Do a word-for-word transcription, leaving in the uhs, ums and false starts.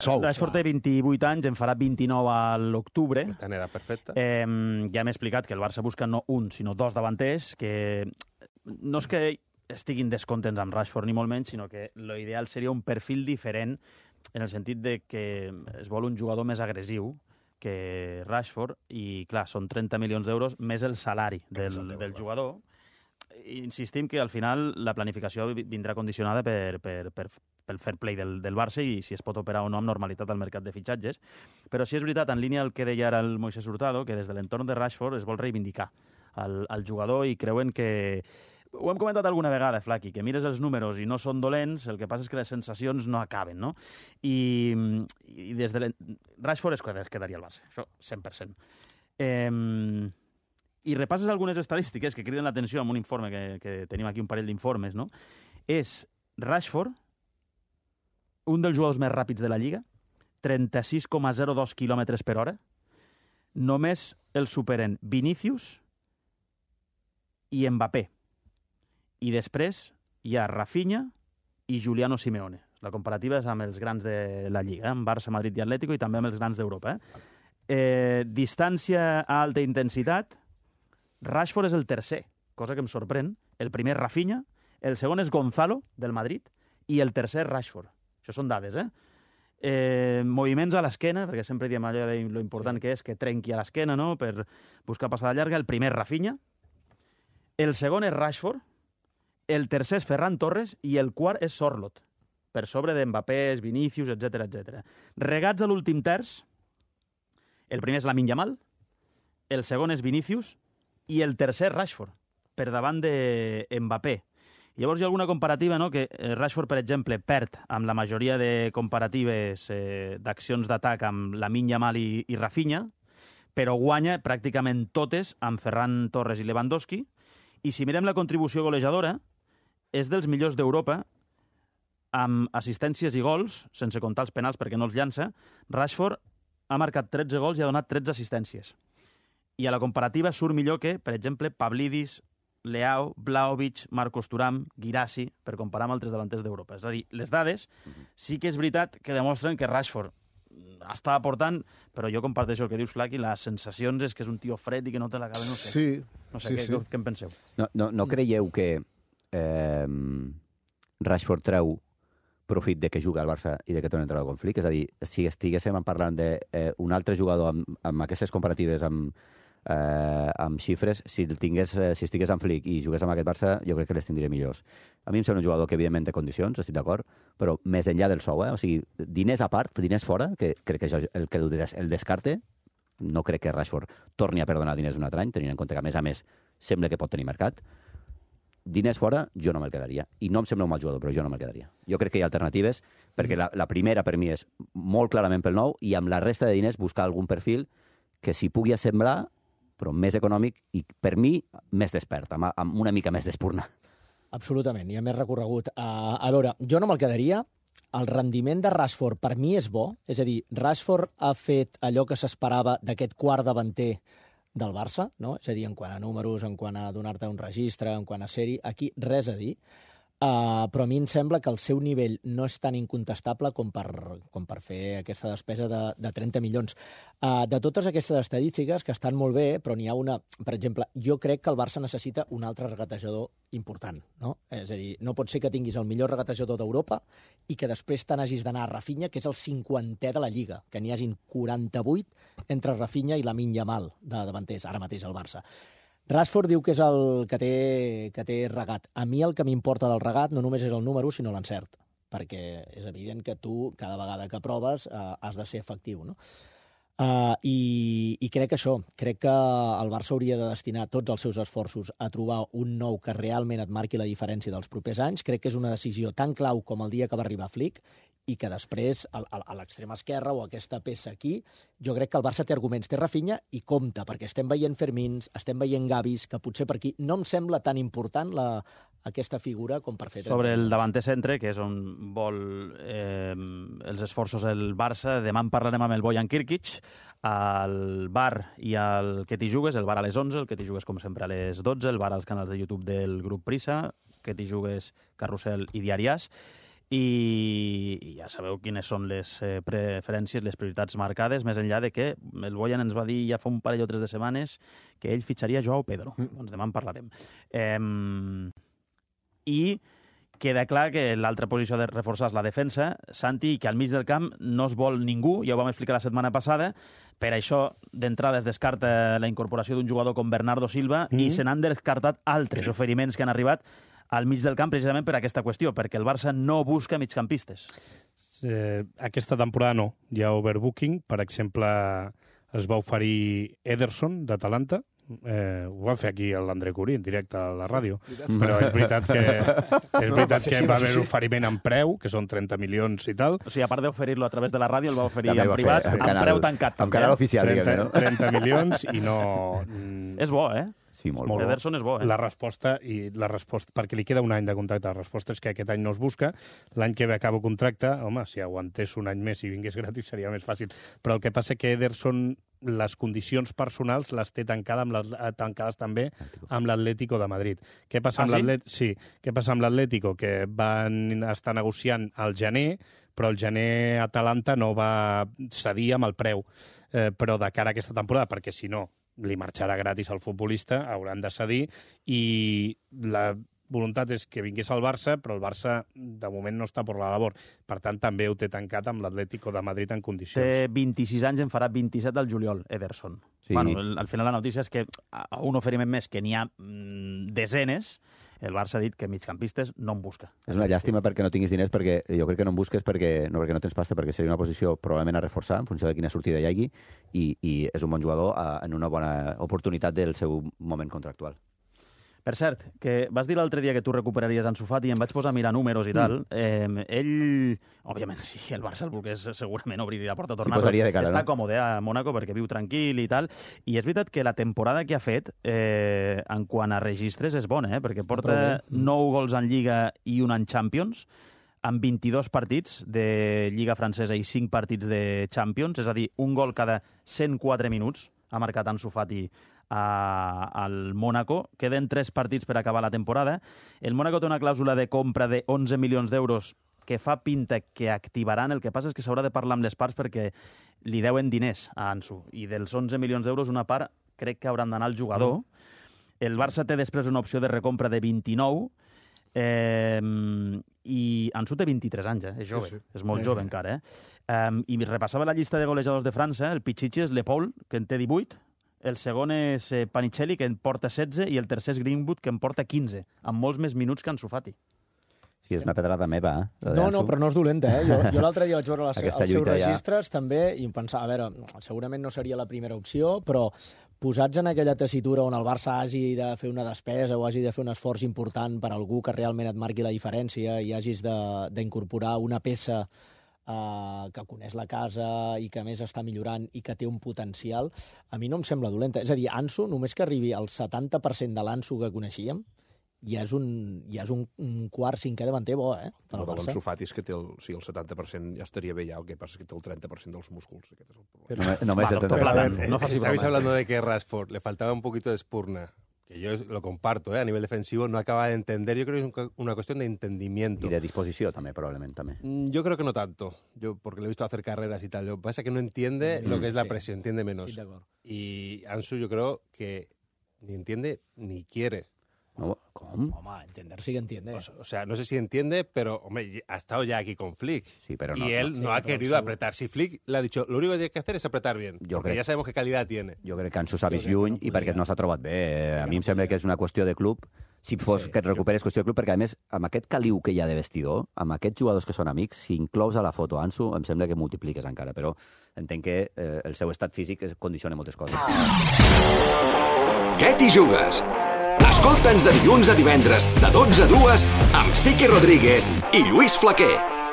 Sous. Rashford té vint-i-vuit anys, en farà vint-i-nou a l'octubre. Està en edat perfecta. Eh, ja m'he explicat que el Barça busca no un, sinó dos davanters, que no és que estiguin descontents amb Rashford ni molt menys, sinó que l'ideal seria un perfil diferent en el sentit de que es vol un jugador més agressiu que Rashford, i clar, són trenta milions d'euros més el salari del, del jugador. Insistim que al final la planificació vindrà condicionada per, per, per, pel fair play del, del Barça i si es pot operar o no amb normalitat al mercat de fitxatges. Però sí és veritat, en línia el que deia ara el Moisés Hurtado, que des de l'entorn de Rashford es vol reivindicar al, al jugador i creuen que... Ho hem comentat alguna vegada, Flaqui, que mires els números i no són dolents, el que passa és que les sensacions no acaben, no? I, i des de Rashford es quedaria al Barça, això cent per cent. Eh, I repasses algunes estadístiques que criden l'atenció amb un informe, que, que tenim aquí un parell d'informes, no? És Rashford, un dels jugadors més ràpids de la Lliga, trenta-sis coma zero dos quilòmetres per hora, només el superen Vinícius i Mbappé. I després hi ha Rafinha i Giuliano Simeone. La comparativa és amb els grans de la Lliga, eh? amb Barça, Madrid i Atlético, i també amb els grans d'Europa. Eh? Eh, distància a alta intensitat, Rashford és el tercer, cosa que em sorprèn. El primer és Rafinha, el segon és Gonzalo, del Madrid, i el tercer Rashford. Això són dades, eh? eh moviments a l'esquena, perquè sempre diem allò de lo important sí. que és que trenqui a l'esquena, no?, per buscar passada llarga. El primer és Rafinha, el segon és Rashford, el tercer és Ferran Torres i el quart és Sorloth, per sobre d'Mbappé, Vinícius, etcètera, etcètera. Regats a l'últim terç, el primer és Lamine Yamal, el segon és Vinícius i el tercer Rashford, per davant de Mbappé. Llavors hi ha alguna comparativa, no?, que Rashford, per exemple, perd amb la majoria de comparatives eh, d'accions d'atac amb Lamine Yamal i, i Rafinha, però guanya pràcticament totes amb Ferran Torres i Lewandowski. I si mirem la contribució golejadora, és dels millors d'Europa, amb assistències i gols, sense comptar els penals perquè no els llança. Rashford ha marcat tretze gols i ha donat tretze assistències. I a la comparativa surt millor que, per exemple, Pavlidis, Leao, Vlahovic, Marcos Thuram, Guirassy, per comparar amb altres davanters d'Europa. És a dir, les dades sí que és veritat que demostren que Rashford està aportant, però jo comparteixo el que dius, Flaqui, les sensacions és que és un tio fred i que no té la cabeza, no sé. Sí, no sé, sí, què, sí. què en penseu? No, no, no creieu que eh, Rashford treu profit de que juga al Barça i de que torna a entrar al conflicte? És a dir, si estiguéssim parlant d'un eh, altre jugador amb, amb aquestes comparatives, amb, eh, amb xifres, si, el tingués, eh, si estigués en Flick i jugués amb aquest Barça, jo crec que les tindria millors. A mi em sembla un jugador que, evidentment, té condicions, estic d'acord, però més enllà del sou, eh? O sigui, diners a part, diners fora, que crec que això, el que el, el descarte, no crec que Rashford torni a perdonar diners un altre any, tenint en compte que, a més a més, sembla que pot tenir mercat. Diners fora, jo no me'l quedaria. I no em sembla un mal jugador, però jo no me'l quedaria. Jo crec que hi ha alternatives, perquè la, la primera per mi és molt clarament pel nou, i amb la resta de diners buscar algun perfil que s'hi pugui assemblar, però més econòmic i, per mi, més despert, amb, amb una mica més d'espurna. Absolutament, hi ha més recorregut. Uh, a veure, jo no me'l quedaria. El rendiment de Rashford per mi és bo, és a dir, Rashford ha fet allò que s'esperava d'aquest quart davanter del Barça, no? És a dir, en quant a números, en quant a donar-te un registre, en quant a sèrie, aquí res a dir. Uh, però a mi em sembla que el seu nivell no és tan incontestable com per, com per fer aquesta despesa de, de trenta milions. Uh, de totes aquestes estadístiques, que estan molt bé, però n'hi ha una... Per exemple, jo crec que el Barça necessita un altre regatejador important, no? És a dir, no pot ser que tinguis el millor regatejador d'Europa i que després te n'hagis d'anar a Rafinha, que és el cinquantè de la Lliga, que n'hi hagin quaranta-vuit entre Rafinha i Lamine Yamal de davanters, ara mateix al Barça. Rashford diu que és el que té, que té regat. A mi el que m'importa del regat no només és el número, sinó l'encert, perquè és evident que tu, cada vegada que proves, eh, has de ser efectiu, no? Uh, i, I crec que això, crec que el Barça hauria de destinar tots els seus esforços a trobar un nou que realment et marqui la diferència dels propers anys. Crec que és una decisió tan clau com el dia que va arribar Flick, i que després, a, a l'extrema esquerra o aquesta peça aquí, jo crec que el Barça té arguments, té Rafinha i compta, perquè estem veient Fermins, estem veient Gavis, que potser per aquí no em sembla tan important la, aquesta figura com per fer... Sobre el davanter centre, que és on vol eh, els esforços el Barça, demà en parlarem amb el Bojan Kirkic, al bar i al Que t'hi jugues, el bar a les onze, el Que t'hi jugues com sempre a les dotze, el bar als canals de YouTube del grup Prisa, Que t'hi jugues Carrusel i Diari As. i, i ja sabeu quines són les eh, preferències, les prioritats marcades, més enllà de que el Boyan ens va dir ja fa un parell o tres de setmanes que ell fitxaria Joao Pedro. Mm. Doncs demà en parlarem. Eh, I queda clar que l'altra posició de reforçar és la defensa, Santi, i que al mig del camp no es vol ningú, ja ho vam explicar la setmana passada, per això d'entrada es descarta la incorporació d'un jugador com Bernardo Silva mm. i se n'han descartat altres oferiments que han arribat al mig del camp precisament per aquesta qüestió, perquè el Barça no busca migcampistes. Eh, aquesta temporada no. Hi ha overbooking. Per exemple, es va oferir Ederson, d'Atalanta. Eh, ho van fer aquí l'André Curí, en directe a la ràdio. Però és veritat que, és veritat que va haver un oferiment en preu, que són trenta milions i tal. O sigui, a part d'oferir-lo a través de la ràdio, el va oferir en privat, amb preu tancat. Amb canal oficial, trenta, no? trenta milions i no... És bo, eh? Sí, molt, molt bo. Ederson és bo, eh? La resposta, i la resposta, perquè li queda un any de contracte, la resposta és que aquest any no es busca, l'any que ve acaba contracte, home, si aguantés un any més i vingués gratis seria més fàcil. Però el que passa que Ederson, les condicions personals les té tancada amb les, tancades també amb l'Atlético de Madrid. Què passa amb ah, sí? l'Atlético? Sí, què passa amb l'Atlético? Que van estar negociant al gener, però el gener Atalanta no va cedir amb el preu, eh, però de cara a aquesta temporada, perquè si no li marxarà gratis al futbolista, hauran de cedir, i la voluntat és que vingués al Barça, però el Barça de moment no està per la labor. Per tant, també ho té tancat amb l'Atlético de Madrid en condicions. Té vint-i-sis anys, en farà vint-i-set al juliol, Ederson. Sí. Bueno, el, al final la notícia és que a un oferiment més que n'hi ha mm, desenes, el Barça ha dit que migcampistes no en busca. És una llàstima perquè no tinguis diners, perquè jo crec que no en busques perquè no, perquè no tens pasta, perquè seria una posició probablement a reforçar en funció de quina sortida hi hagi, i, i és un bon jugador a, en una bona oportunitat del seu moment contractual. Per cert, que vas dir l'altre dia que tu recuperaries Ansu Fati i em vaig posar a mirar números i tal. Mm. Eh, ell, òbviament, si el Barça el volgués, segurament obriria la porta a tornar-lo. Sí, de cara, està no? còmode a Mónaco perquè viu tranquil i tal. I és veritat que la temporada que ha fet, eh, en quant a registres, és bona, eh? Perquè porta nou gols en Lliga i un en Champions, amb vint-i-dos partits de Lliga francesa i cinc partits de Champions, és a dir, un gol cada cent quatre minuts ha marcat Ansu Fati a, al Mónaco. Queden tres partits per acabar la temporada. El Mónaco té una clàusula de compra de onze milions d'euros que fa pinta que activaran. El que passa és que s'haurà de parlar amb les parts perquè li deuen diners a Ansu. I dels onze milions d'euros, una part crec que hauran d'anar al jugador. El Barça té després una opció de recompra de vint-i-nou, eh, i Ansu té vint-i-tres anys, eh? És jove, sí, sí. És molt eh, jove eh. encara. Eh? Um, I repassava la llista de golejadors de França, el Pichichi és Le Paul, que en té divuit, el segon és eh, Panicelli, que en porta setze, i el tercer és Greenwood, que en porta quinze, amb molts més minuts que Ansu Fati. Sí, és una pedrada meva, eh? No, no, però no és dolenta, eh? Jo, jo l'altre dia vaig veure les, els seus registres, ja... també, i em pensava, a veure, segurament no seria la primera opció, però posats en aquella tessitura on el Barça hagi de fer una despesa o hagi de fer un esforç important per algú que realment et marqui la diferència i hagis d'incorporar una peça uh, que coneix la casa i que a més està millorant i que té un potencial, a mi no em sembla dolenta. És a dir, Ansu, només que arribi al setanta per cent de l'Ansu que coneixíem, ja és un, ja és un, un quart cinquè davanter bo, eh? El de l'Ansu Fati és que té el, sí, el setanta per cent ja estaria bé ja, el que passa és que té el trenta per cent dels músculs. Aquest és el problema. No, només el trenta per cent. No, no estabais hablando de que Rashford le faltaba un poquito de espurna, que yo lo comparto, ¿eh? A nivel defensivo no acaba de entender, yo creo que es una cuestión de entendimiento. Y de disposición también, probablemente. También. Yo creo que no tanto, yo porque lo he visto hacer carreras y tal, lo que pasa es que no entiende mm, lo que es la sí. presión, entiende menos. Sí, y Ansu yo creo que ni entiende ni quiere. No, ¿cómo? Home, entender sí que entiende. O, o sea, no sé si entiende, pero, hombre, ha estado ya aquí con Flick. Sí, pero no, y él no, no sí, ha querido apretar. Si Flick le ha dicho, lo único que tiene que hacer es apretar bien, jo porque crec, ja sabemos qué calidad tiene. Jo crec que Ansu s'ha vist lluny i perquè no s'ha trobat bé. A mi em sembla que és una qüestió de club. Si fos sí, que et recuperes qüestió de club, perquè a més, amb aquest caliu que hi ha de vestidor, amb aquests jugadors que són amics, si inclous a la foto Ansu, em sembla que multipliques encara, però entenc que eh, el seu estat físic condiciona moltes coses. Què t'hi jugues? Escolta'ns de dilluns a divendres, de dotze a dues, amb Sique Rodríguez i Lluís Flaquer.